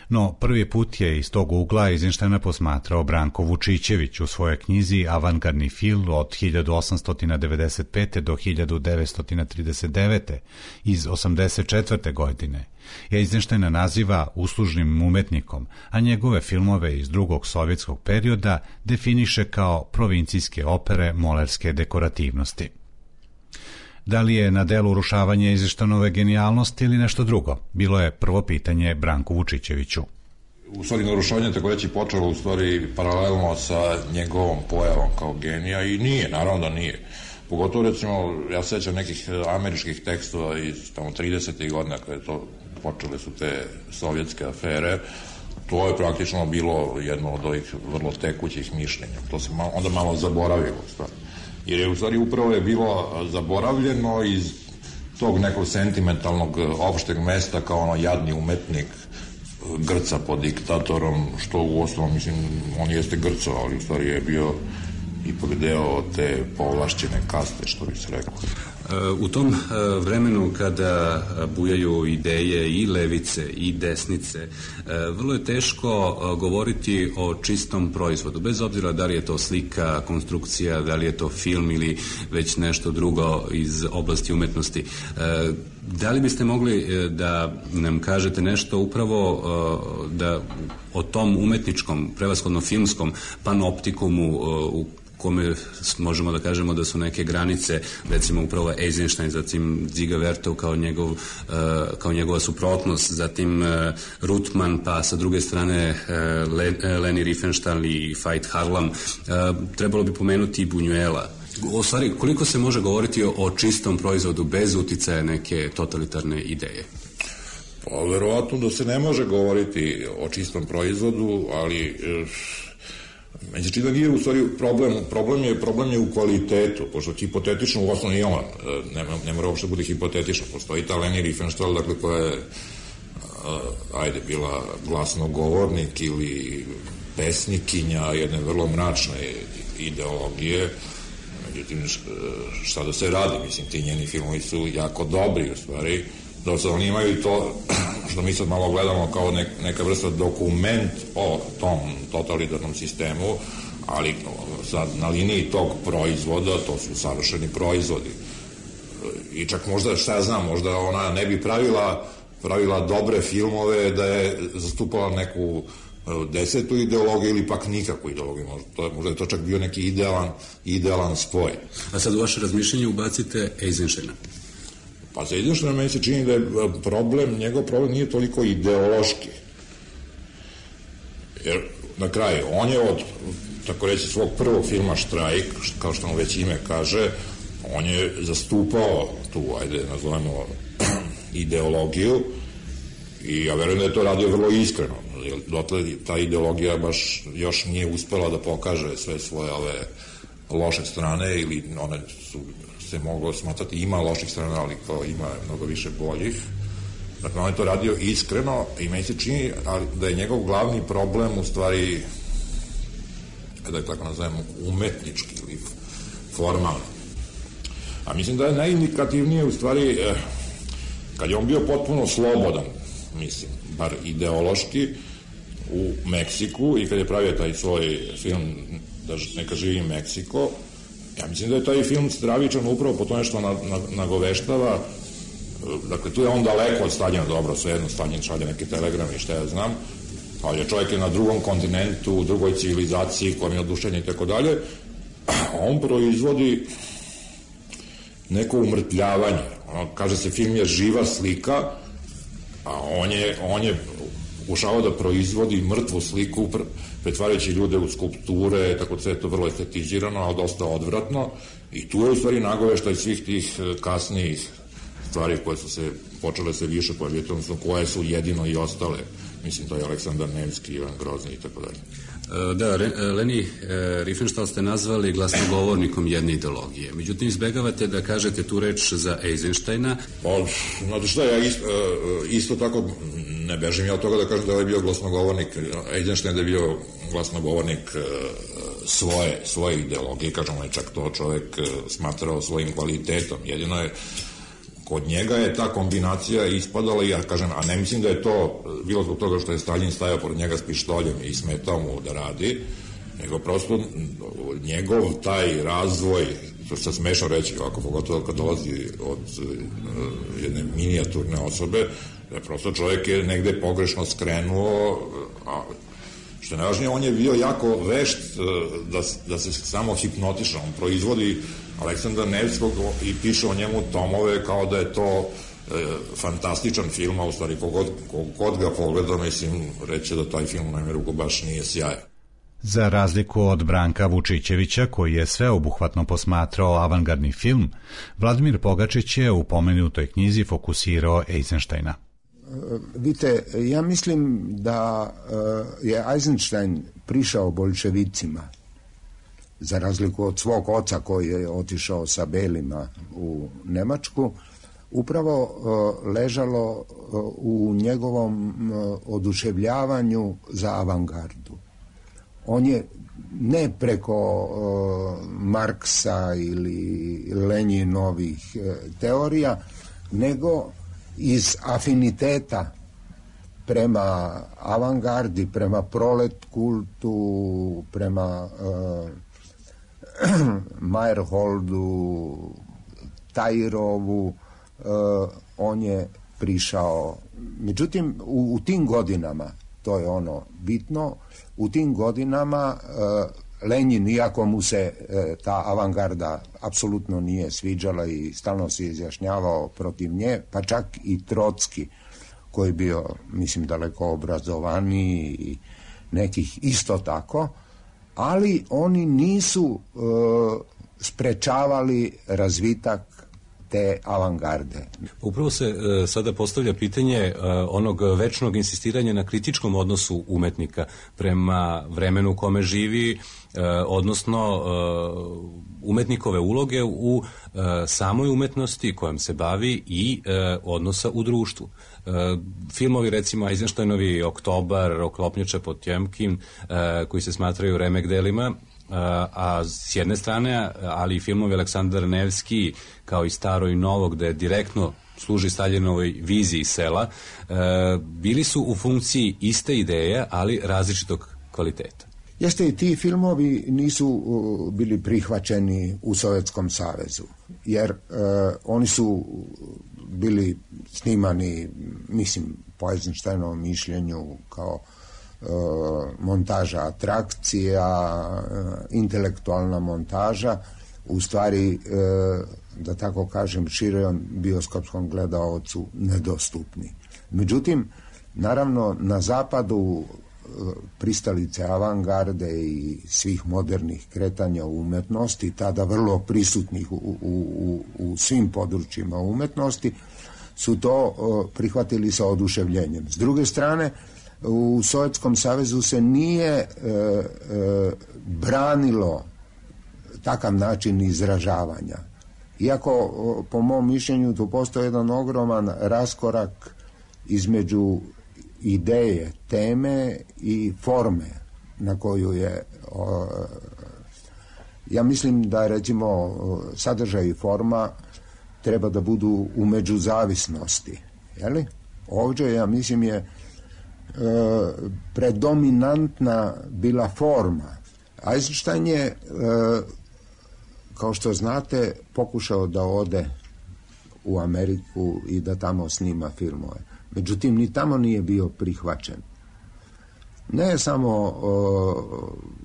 No, prvi put je iz tog ugla Eizenštejna posmatrao Branko Vučićević u svojoj knjizi Avangardni film od 1895. do 1939. iz 84. godine. Eizenštejna naziva uslužnim umetnikom, a njegove filmove iz drugog sovjetskog perioda definiše kao provincijske opere molerske dekorativnosti. Da li je na delu urušavanje Eizenštejnove genijalnosti ili nešto drugo? Bilo je prvo pitanje Branku Vučićeviću.
U stvari, narušavanje, tako reći, počelo u stvari paralelno sa njegovom pojavom kao genija i nije, naravno da nije. Pogotovo, recimo, ja sećam nekih američkih tekstova iz tamo 30. godina kada to počele su te sovjetske afere. To je praktično bilo jedno od ovih vrlo tekućih mišljenja. To se onda malo zaboravilo, u stvari. Jer je u stvari upravo je bilo zaboravljeno iz tog nekog sentimentalnog opšteg mesta kao ono jadni umetnik grca pod diktatorom, što u osnovu, mislim, on jeste grcao, ali u stvari je bio ipak deo te povlašćene kaste, što bi se rekao.
U tom vremenu kada bujaju ideje i levice i desnice, vrlo je teško govoriti o čistom proizvodu, bez obzira da li je to slika, konstrukcija, da li je to film ili već nešto drugo iz oblasti umetnosti. Da li biste mogli da nam kažete nešto upravo da o tom umetničkom, prevashodno filmskom panoptikumu u kome možemo da kažemo da su neke granice, recimo upravo Eisenstein, zatim Dziga Vertov kao njegova suprotnost, zatim Rutman, pa sa druge strane Leni Riefenstahl i Veit Harlam. Trebalo bi pomenuti i Buñuela. U stvari, koliko se može govoriti o čistom proizvodu bez uticaja neke totalitarne ideje?
Pa, verovatno da se ne može govoriti o čistom proizvodu, ali meni čini da nije u stvari problem je u kvalitetu, pošto hipotetično u osnovu i on ne mora uopšte bude hipotetično, postoji ta Leni Riefenstahl, dakle, koja je bila glasnogovornik ili pesnikinja jedne vrlo mračne ideologije. Međutim, šta da se radi, mislim, ti njeni filmovi su jako dobri, u stvari, da se oni imaju to, što mi sad malo gledamo kao neka vrsta dokument o tom totalitarnom sistemu, ali sad na liniji tog proizvoda, to su savršeni proizvodi. I čak možda, šta ja znam, možda ona ne bi pravila dobre filmove da je zastupala neku desetu ideologiju ili pak nikakvu ideologiju. Možda je to čak bio neki idealan spoj.
A sad u vaše razmišljenje ubacite Eisensteina.
Pa za Eisensteina meni se čini da je njegov problem nije toliko ideološki. Jer na kraju, on je od, tako reći, svog prvog filma Štrajk, kao što mu već ime kaže, on je zastupao tu, nazovemo, ideologiju i ja verujem da je to radio vrlo iskreno. Dotle ta ideologija baš još nije uspela da pokaže sve svoje ove loše strane, ili one su se moglo smatrati ima loših strana, ali kao ima mnogo više boljih. Dakle, on je to radio iskreno i meni se čini da je njegov glavni problem u stvari, da je tako nazovemo, umetnički ili formalni. A mislim da je najindikativnije u stvari kad je on bio potpuno slobodan, mislim, bar ideološki, u Meksiku i kad je pravio taj svoj film Neka živi Meksiko, Ja mislim da je taj film stravičan upravo po tome što nagoveštava, dakle tu je on daleko od Staljina, dobro, svejedno Staljin šalje neke telegrame i šta ja znam, ali čovjek je na drugom kontinentu, u drugoj civilizaciji, kojom je oduševljen i tako dalje, on proizvodi neko umrtljavanje. Kaže se, film je živa slika, a on je pokušavao da proizvodi mrtvu sliku, pretvarajući ljude u skulpture, tako sve je to vrlo estetizirano, ali dosta odvratno, i tu je u stvari nagoveštaj svih tih kasnijih stvari koje su se počele se više pojaviti, odnosno koje su jedino i ostale. Mislim, to je Aleksandar Nevski, Ivan Grozni i tako dalje.
Da, Leni Riefenstahl ste nazvali glasnogovornikom jedne ideologije. Međutim, izbegavate da kažete tu reč za Eisensteina.
Znate šta, ja isto tako ne bežim ja od toga da kažem da je bio glasnogovornik. Eisenstein je bio glasnogovornik svoje ideologije, kažem, on je čak to čovek smatrao svojim kvalitetom. Jedino je kod njega je ta kombinacija ispadala, ja kažem, a ne mislim da je to bilo zbog toga što je Staljin stajao pored njega s pištoljem i smetao mu da radi, nego prosto njegov taj razvoj, to se smešno reći ovako, pogotovo kad dolazi od jedne minijaturne osobe, da prosto čovjek je negde pogrešno skrenuo, a što je najvažnije, on je bio jako vešt da se samo hipnotiša, on proizvodi Aleksandra Nevskog i piše o njemu tomove kao da je to fantastičan film, a u stvari kogod ga pogleda, mislim, reće da taj film u najmeru baš nije sjajan.
Za razliku od Branka Vučićevića, koji je sveobuhvatno posmatrao avangardni film, Vladimir Pogačić je u pomenutoj knjizi fokusirao Eisensteina.
Vidite, ja mislim da je Eisenstein prišao boljševicima, za razliku od svog oca koji je otišao sa belima u Nemačku, upravo ležalo u njegovom oduševljavanju za avangardu. On je ne preko Marksa ili Lenjinovih teorija, nego iz afiniteta prema avangardi, prema prolet kultu, prema Meyerholdu, Tajirovu, on je prišao. Međutim, u tim godinama, to je ono bitno, u tim godinama Lenjin, iako mu se ta avangarda apsolutno nije sviđala i stalno se izjašnjavao protiv nje, pa čak i Trotski, koji je bio, mislim, daleko obrazovaniji i nekih isto tako, ali oni nisu sprečavali razvitak te avangarde.
Upravo se sada postavlja pitanje onog večnog insistiranja na kritičkom odnosu umetnika prema vremenu u kome živi, odnosno umetnikove uloge u samoj umetnosti kojom se bavi i odnosa u društvu. Filmovi, recimo Eisensteinovi Oktobar, Oklopnjača Potjemkin, koji se smatraju remek delima, a s jedne strane, ali i filmovi Aleksandar Nevski, kao i Staro i Novo, gde direktno služi Staljinovoj viziji sela, bili su u funkciji iste ideje, ali različitog kvaliteta.
Jeste, i ti filmovi nisu bili prihvaćeni u Sovjetskom savezu, jer oni su bili snimani, mislim, po Eisensteinovom mišljenju kao montaža atrakcija, intelektualna montaža, u stvari, da tako kažem, širom bioskopskom gledaocu nedostupni. Međutim, naravno, na zapadu pristalice avangarde i svih modernih kretanja u umetnosti, tada vrlo prisutnih u svim područjima umetnosti, su to prihvatili sa oduševljenjem. S druge strane, u Sovjetskom savezu se nije branilo takav način izražavanja. Iako, po mom mišljenju, tu postoji jedan ogroman raskorak između ideje, teme i forme na koju je... Ja mislim da, recimo, sadržaj i forma treba da budu u međuzavisnosti. Jeli? Ovdje, ja mislim, je predominantna bila forma. Eisenstein je kao što znate, pokušao da ode u Ameriku i da tamo snima filmove. Međutim, ni tamo nije bio prihvaćen. Ne samo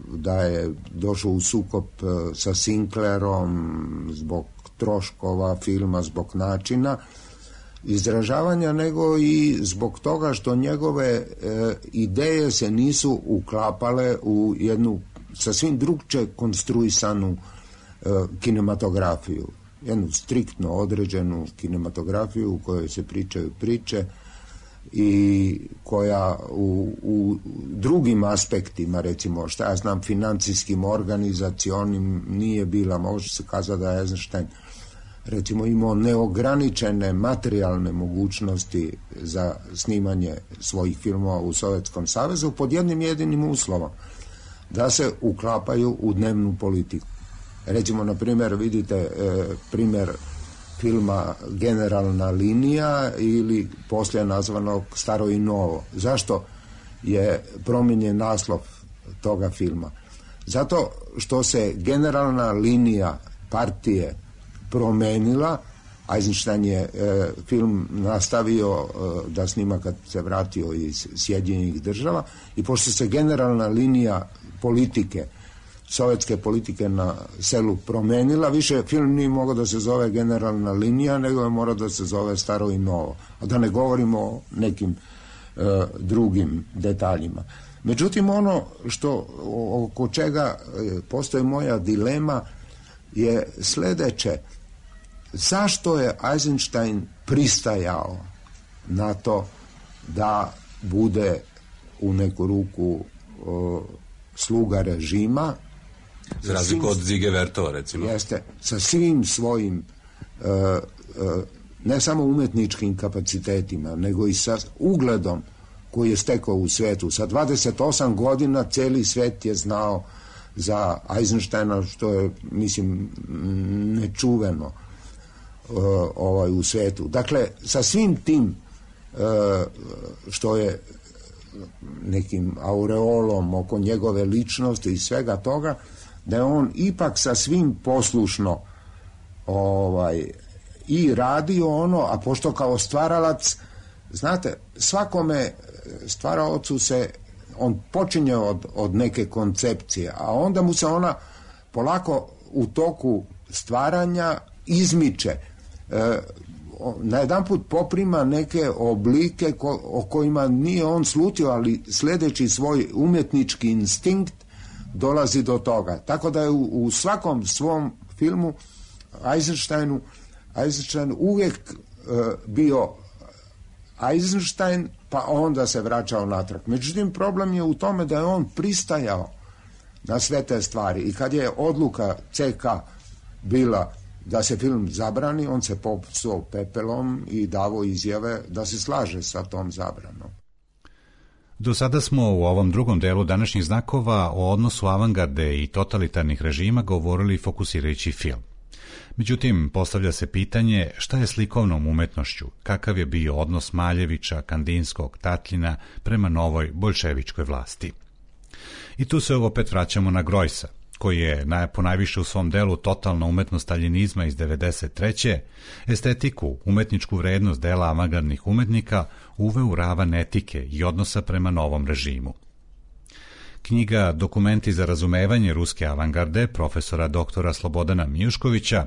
da je došao u sukob sa Sinclairom zbog troškova filma, zbog načina izražavanja, nego i zbog toga što njegove ideje se nisu uklapale u jednu sasvim drugčije konstruisanu kinematografiju. Jednu striktno određenu kinematografiju u kojoj se pričaju priče i koja u drugim aspektima, recimo, šta ja znam, financijskim, organizacionim, nije bila, može se kazati da je Eisenstein recimo imao neograničene materijalne mogućnosti za snimanje svojih filmova u Sovjetskom savezu pod jednim jedinim uslovom, da se uklapaju u dnevnu politiku. Recimo, na primjer, vidite primjer filma Generalna linija ili poslije nazvanog Staro i novo. Zašto je promijenjen naslov toga filma? Zato što se generalna linija partije promenila. Eisenstein je film nastavio da snima kad se vratio iz Sjedinjenih država i pošto se generalna linija politike, sovjetske politike na selu promenila, više film nije mogao da se zove Generalna linija, nego je morao da se zove Staro i novo. A da ne govorimo o nekim drugim detaljima. Međutim, ono što oko čega postoji moja dilema je sljedeće. Zašto je Eisenstein pristajao na to da bude u neku ruku sluga režima?
Za razliku od Zige Vertova, recimo.
Jeste, sa svim svojim ne samo umetničkim kapacitetima, nego i sa ugledom koji je stekao u svijetu. Sa 28 godina cijeli svijet je znao za Eisensteina, što je, mislim, nečuveno u svijetu. Dakle, sa svim tim što je nekim aureolom oko njegove ličnosti i svega toga, da je on ipak sa svim poslušno i radio ono, a pošto kao stvaralac, znate, svakome stvaraocu se on počinje od neke koncepcije, a onda mu se ona polako u toku stvaranja izmiče. Najedanput poprima neke oblike o kojima nije on slutio, ali sljedeći svoj umjetnički instinkt dolazi do toga. Tako da je u svakom svom filmu Eisenstein uvijek bio Eisenstein, pa onda se vraćao natrag. Međutim, problem je u tome da je on pristajao na sve te stvari i kad je odluka CK bila da se film zabrani, on se popsuo pepelom i davo izjave da se slaže sa tom zabranom.
Do sada smo u ovom drugom delu današnjih znakova o odnosu avangarde i totalitarnih režima govorili fokusirajući film. Međutim, postavlja se pitanje šta je s likovnom umetnošću, kakav je bio odnos Maljevića, Kandinskog, Tatljina prema novoj boljševičkoj vlasti. I tu se opet vraćamo na Grojsa, koji je ponajviše u svom delu Totalna umetnost staljinizma iz 1993. estetiku, umetničku vrednost dela avangardnih umetnika uveo u ravan etike i odnosa prema novom režimu. Knjiga Dokumenti za razumevanje ruske avangarde profesora doktora Slobodana Mijuškovića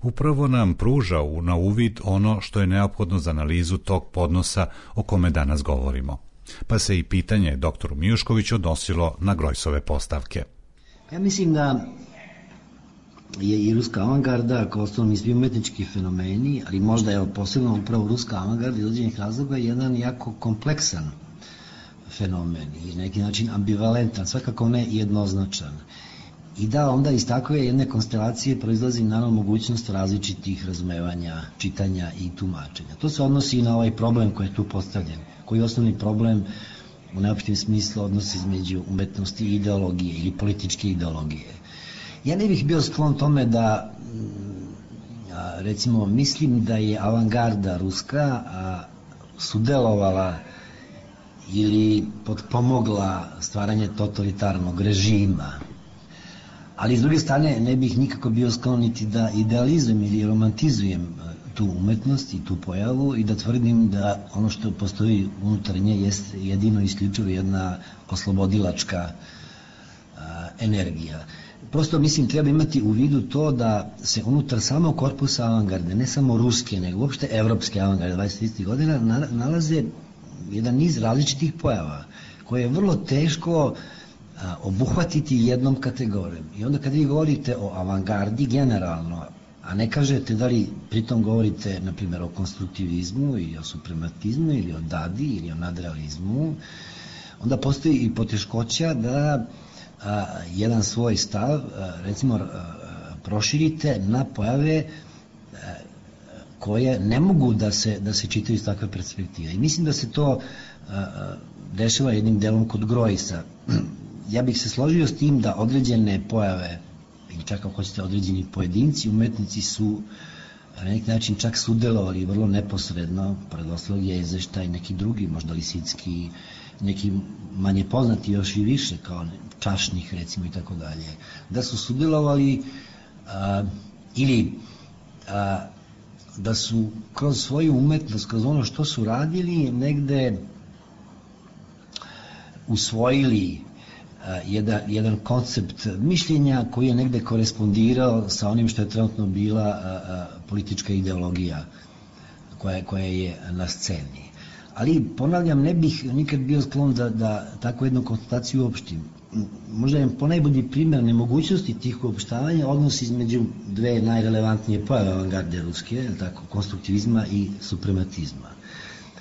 upravo nam pruža na uvid ono što je neophodno za analizu tog podnosa o kome danas govorimo. Pa se i pitanje doktoru Mijuškoviću odnosilo na Grojsove postavke.
Ja mislim da je i ruska avangarda kao osnovni svi umetnički fenomeni, ali možda je posebno upravo ruska avangarda iz određenih razloga jedan jako kompleksan fenomen i na neki način ambivalentan, svakako ne jednoznačan. I da onda iz takve jedne konstelacije proizlazi naravno mogućnost različitih razumevanja, čitanja i tumačenja. To se odnosi i na ovaj problem koji je tu postavljen, koji je osnovni problem u najopštem smislu odnosi između umetnosti i ideologije ili političke ideologije. Ja ne bih bio sklon tome da, recimo, mislim da je avangarda ruska sudelovala ili potpomogla stvaranje totalitarnog režima. Ali s druge strane ne bih nikako bio sklon niti da idealizujem ili romantizujem tu umetnost i tu pojavu i da tvrdim da ono što postoji unutar nje jeste jedino isključivo jedna oslobodilačka energija. Prosto mislim treba imati u vidu to da se unutar samog korpusa avangarde, ne samo ruske, nego uopšte evropske avangarde 20. godina nalaze jedan niz različitih pojava koje je vrlo teško obuhvatiti jednom kategorijom. I onda kad vi govorite o avangardi generalno, a ne kažete da li pritom govorite, na primjer, o konstruktivizmu ili o suprematizmu ili o dadi ili o nadrealizmu, onda postoji i poteškoća da jedan svoj stav, recimo, proširite na pojave koje ne mogu da se čitaju iz takve perspektive. I mislim da se to dešava jednim delom kod Grojsa. Ja bih se složio s tim da određene pojave, ili čak ako hoćete određeni pojedinci, umetnici su na neki način čak sudelovali vrlo neposredno, predoslov je izveštaj neki drugi, možda Lisicki, neki manje poznati još i više, kao Čašnih recimo i tako dalje, da su sudelovali ili da su kroz svoju umetnost, kroz ono što su radili, negde usvojili jedan koncept mišljenja koji je negde korespondirao sa onim što je trenutno bila politička ideologija koja je na sceni. Ali, ponavljam, ne bih nikad bio sklon da takvu jednu konstataciju uopštim. Možda je ponajbolji primjer nemogućnosti tih uopštavanja odnos između dve najrelevantnije pojave avangarde ruske, tako, konstruktivizma i suprematizma.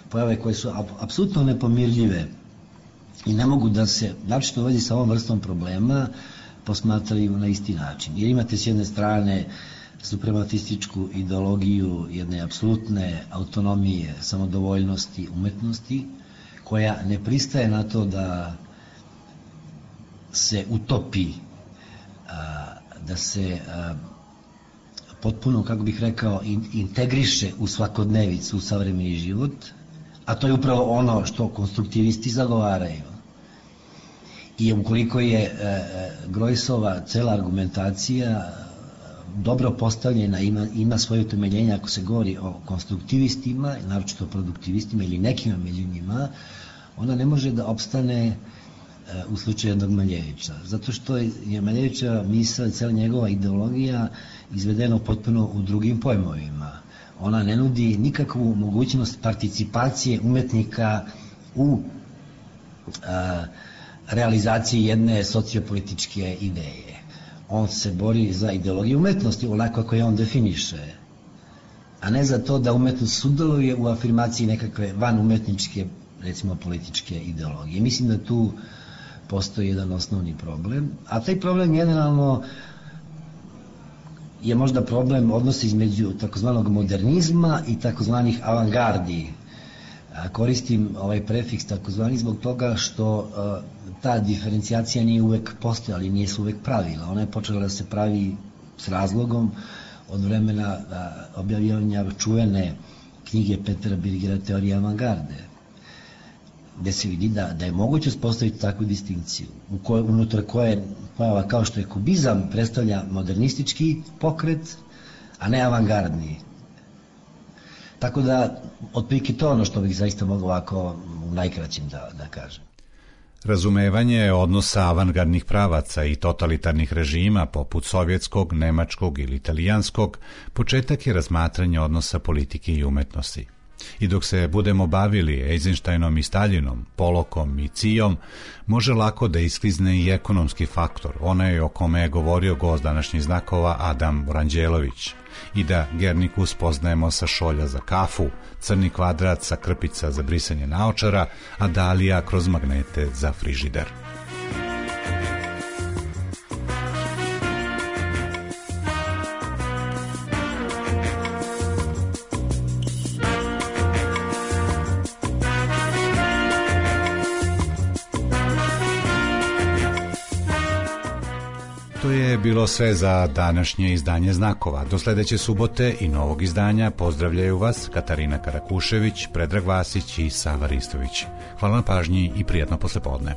Pojave koje su apsolutno nepomirljive i ne mogu da se, naročito u vezi sa ovom vrstom problema, posmatraju na isti način. Jer imate s jedne strane suprematističku ideologiju jedne apsolutne autonomije, samodovoljnosti, umetnosti, koja ne pristaje na to da se utopi, da se potpuno, kako bih rekao, integriše u svakodnevicu, u savremeni život, a to je upravo ono što konstruktivisti zagovaraju. I ukoliko je Grojsova cela argumentacija dobro postavljena, ima svoje utemeljenje ako se govori o konstruktivistima, naročito o produktivistima ili nekima među njima, ona ne može da opstane u slučaju jednog Maljevića. Zato što je Maljevića misao i cela njegova ideologija izvedena potpuno u drugim pojmovima. Ona ne nudi nikakvu mogućnost participacije umetnika u realizaciji jedne sociopolitičke ideje. On se bori za ideologiju umetnosti onako kako je on definiše, a ne za to da umetnost sudeluje u afirmaciji nekakve vanumetničke, recimo političke ideologije. Mislim da tu postoji jedan osnovni problem, a taj problem generalno je možda problem odnosa između takozvanog modernizma i takozvanih avangardi. Koristim ovaj prefiks takozvani zbog toga što ta diferencijacija nije uvek postojala i nije se uvek pravila. Ona je počela da se pravi s razlogom od vremena objavljivanja čuvene knjige Petera Birgera Teorija avangarde, gde se vidi da je moguće uspostaviti takvu distinkciju, unutar koje pojava kao što je kubizam predstavlja modernistički pokret, a ne avangardni. Tako da, otprilike to ono što bih zaista mogao ovako u najkraćim da kažem.
Razumevanje odnosa avangardnih pravaca i totalitarnih režima poput sovjetskog, nemačkog ili italijanskog početak je razmatranja odnosa politike i umetnosti. I dok se budemo bavili Eisensteinom i Staljinom, Polokom i Cijom, može lako da isklizne i ekonomski faktor, onaj o kome je govorio gost današnjih znakova Adam Vranđelović, i da Gernikus poznajemo sa šolja za kafu, crni kvadrat sa krpica za brisanje naočara, a Dalija kroz magnete za frižider. To je bilo sve za današnje izdanje Znakova. Do sledeće subote i novog izdanja pozdravljaju vas Katarina Karakušević, Predrag Vasić i Sava Ristović. Hvala na pažnji i prijatno poslepodne.